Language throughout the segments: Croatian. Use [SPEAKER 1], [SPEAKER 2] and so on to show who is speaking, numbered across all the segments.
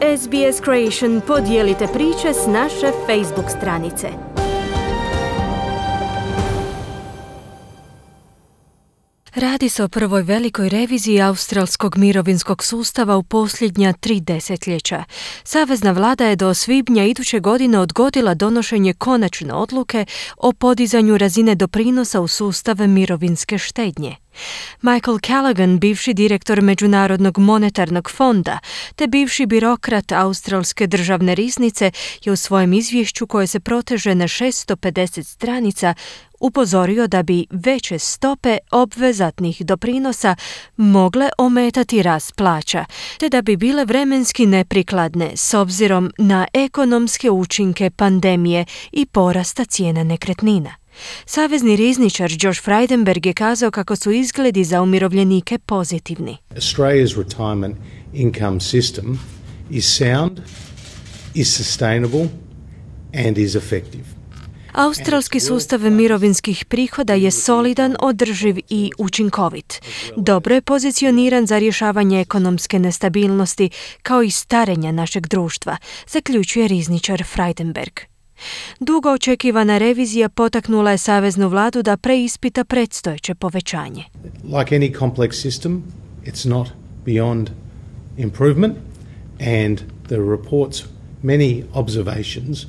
[SPEAKER 1] SBS Creation podijelite priče s naše Facebook stranice. Radi se o prvoj velikoj reviziji australskog mirovinskog sustava u posljednja 3 desetljeća. Savezna vlada je do svibnja iduće godine odgodila donošenje konačne odluke o podizanju razine doprinosa u sustav mirovinske štednje. Michael Callaghan, bivši direktor Međunarodnog monetarnog fonda te bivši birokrat Australske državne riznice, je u svojem izvješću koje se proteže na 650 stranica upozorio da bi veće stope obvezatnih doprinosa mogle ometati rast plaća, te da bi bile vremenski neprikladne s obzirom na ekonomske učinke pandemije i porasta cijena nekretnina. Savezni rizničar Josh Frydenberg je kazao kako su izgledi za umirovljenike pozitivni.
[SPEAKER 2] Australia's retirement income system is sound, is sustainable and is effective.
[SPEAKER 1] Australski sustav mirovinskih prihoda je solidan, održiv i učinkovit. Dobro je pozicioniran za rješavanje ekonomske nestabilnosti kao i starenja našeg društva, zaključuje rizničar Frydenberg. Dugo očekivana revizija potaknula je saveznu vladu da preispita predstojeće povećanje.
[SPEAKER 2] Like any complex system, it's not beyond improvement, and the report's many observations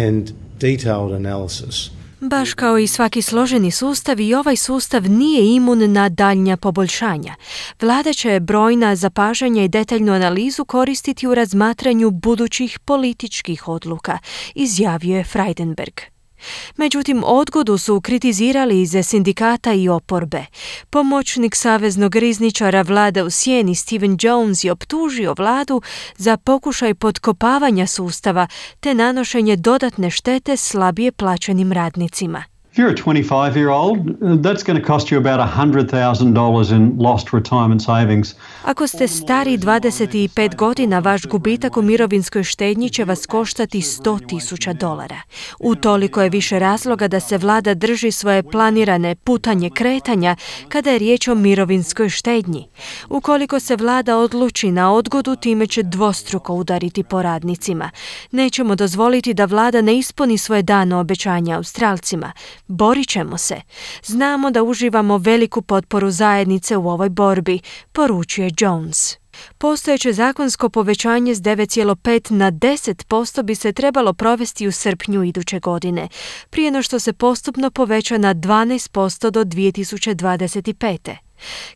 [SPEAKER 2] and detailed analysis.
[SPEAKER 1] Baš kao i svaki složeni sustav, i ovaj sustav nije imun na daljnja poboljšanja. Vlada će brojna zapažanja i detaljnu analizu koristiti u razmatranju budućih političkih odluka, izjavio je Frydenberg. Međutim, odgodu su kritizirali iz sindikata i oporbe. Pomoćnik saveznog rizničara vlade u sjeni Stephen Jones je optužio vladu za pokušaj potkopavanja sustava te nanošenje dodatne štete slabije plaćenim radnicima.
[SPEAKER 3] If you're a 25-year-old, that's going to cost you about $100,000 in lost retirement savings.
[SPEAKER 1] Ako ste stari 25 godina, vaš gubitak u mirovinskoj štednji će vas koštati $100,000. Utoliko je više razloga da se vlada drži svoje planirane putanje kretanja kada je riječ o mirovinskoj štednji. Ukoliko se vlada odluči na odgodu, time će dvostruko udariti po radnicima. Nećemo dozvoliti da vlada ne ispuni svoje dano obećanja Australcima. Borit ćemo se. Znamo da uživamo veliku potporu zajednice u ovoj borbi, poručuje Jones. Postojeće zakonsko povećanje s 9,5 na 10% bi se trebalo provesti u srpnju iduće godine, prije no što se postupno poveća na 12% do 2025.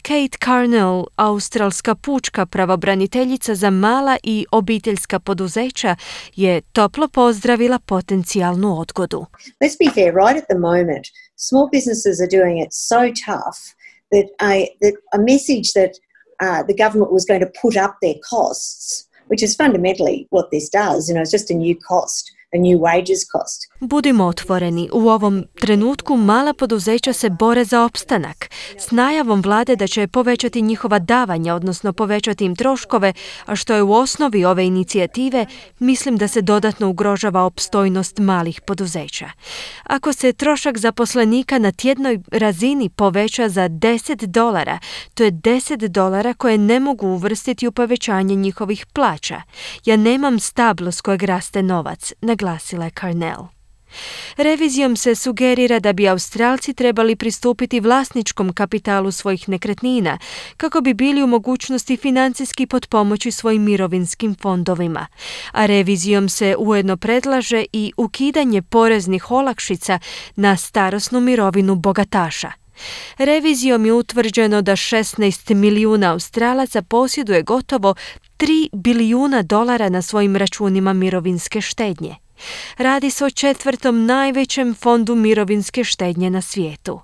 [SPEAKER 1] Kate Carnell, australska pučka pravobraniteljica za mala i obiteljska poduzeća, je toplo pozdravila potencijalnu odgodu.
[SPEAKER 4] Let's be fair, right at the moment, small businesses are doing it so tough that a message that the government was going to put up their costs, which is fundamentally what this does, it's just a new cost. A new wages cost.
[SPEAKER 1] Budimo otvoreni, u ovom trenutku mala poduzeća se bore za opstanak. S najavom vlade da će povećati njihova davanja, odnosno povećati im troškove, a što je u osnovi ove inicijative, mislim da se dodatno ugrožava opstojnost malih poduzeća. Ako se trošak zaposlenika na tjednoj razini poveća za $10, to je $10 koje ne mogu uvrstiti u povećanje njihovih plaća. Ja nemam stablo s kojeg raste novac, naglasila je Carnell. Revizijom se sugerira da bi Australci trebali pristupiti vlasničkom kapitalu svojih nekretnina kako bi bili u mogućnosti financijski potpomoći svojim mirovinskim fondovima. A revizijom se ujedno predlaže i ukidanje poreznih olakšica na starosnu mirovinu bogataša. Revizijom je utvrđeno da 16 milijuna Australaca posjeduje gotovo $3 bilijuna na svojim računima mirovinske štednje. Radi se o 4. najvećem fondu mirovinske štednje na svijetu.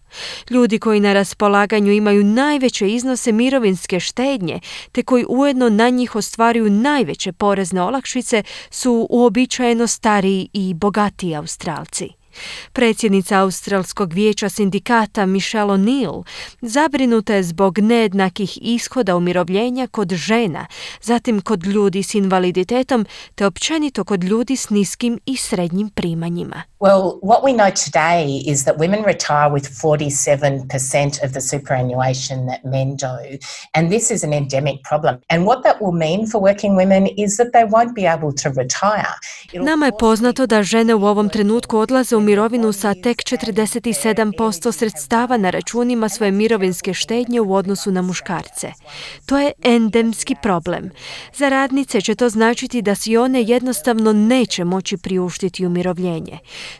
[SPEAKER 1] Ljudi koji na raspolaganju imaju najveće iznose mirovinske štednje, te koji ujedno na njih ostvaruju najveće porezne olakšice, su uobičajeno stariji i bogatiji Australci. Predsjednica Australskog vijeća sindikata Michelle O'Neill zabrinuta je zbog nejednakih ishoda umirovljenja kod žena, zatim kod ljudi s invaliditetom te općenito kod ljudi s niskim i srednjim primanjima.
[SPEAKER 5] Well, what we know today is that women retire with 47% of the superannuation that men do, and this is an endemic problem. And what that will mean for working women is that they won't be able to retire.
[SPEAKER 1] Nama je poznato da žene u ovom trenutku odlaze u mirovinu sa tek 47% sredstava na računima svoje mirovinske štednje u odnosu na muškarce. To je endemski problem. Za radnice će to značiti da si one jednostavno neće moći priuštiti umirovljenje.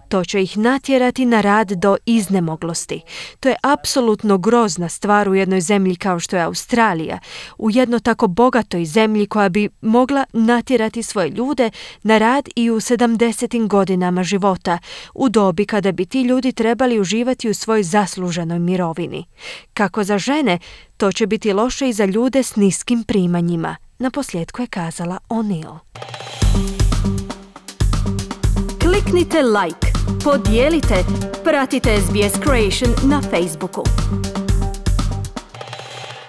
[SPEAKER 1] To će ih natjerati na rad do iznemoglosti. To je apsolutno grozna stvar u jednoj zemlji kao što je Australija, u jednoj tako bogatoj zemlji koja bi mogla natjerati svoje ljude na rad i u 70. godinama života, u dobi kada bi ti ljudi trebali uživati u svojoj zasluženoj mirovini. Kako za žene, to će biti loše i za ljude s niskim primanjima, naposljetku je kazala O'Neill. Kliknite like, podijelite, pratite SBS Creation na Facebooku.